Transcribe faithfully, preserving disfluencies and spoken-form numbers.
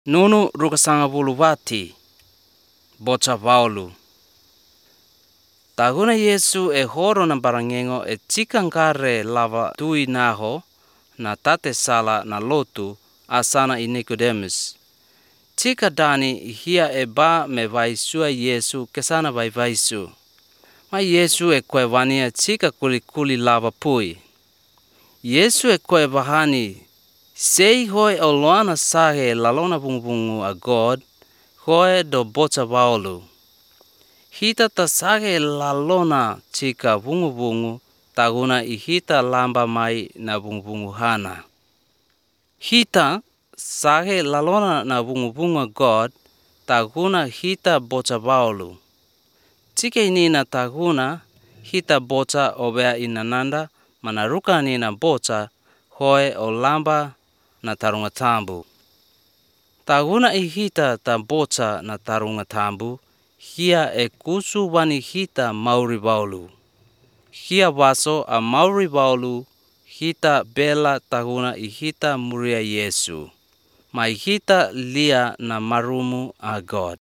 Nunu rukasanga bulubati bocha Paulo. Taguna Yesu e horo na barangengo e chikankare lava tui naho na tate sala na lotu asana i Nicodemus. Chika dani hia e ba me vaisua Yesu kesana vai vaisu. Ma Yesu e koe wania chika kuli kuli lava pui. Yesu e koe vahani sei hoi o loana sage lalona bungu a God hoi do bocha Paulo. Hita ta sage lalona chika bungu bungu taguna i hita lamba mai na bungu bungu hana. Hita sage lalona na bungu bungu a God taguna hita bocha Paulo. Chika inina taguna hita bocha obea inananda manaruka nina bocha hoi o lamba na tarunga tambu. Taguna i hita ta bocha na tarunga tambu, hia e kusu wani hita Mauri Paulo. Hia waso a Mauri Paulo hita bela taguna i hita muria Yesu. Mai hita lia na marumu a God.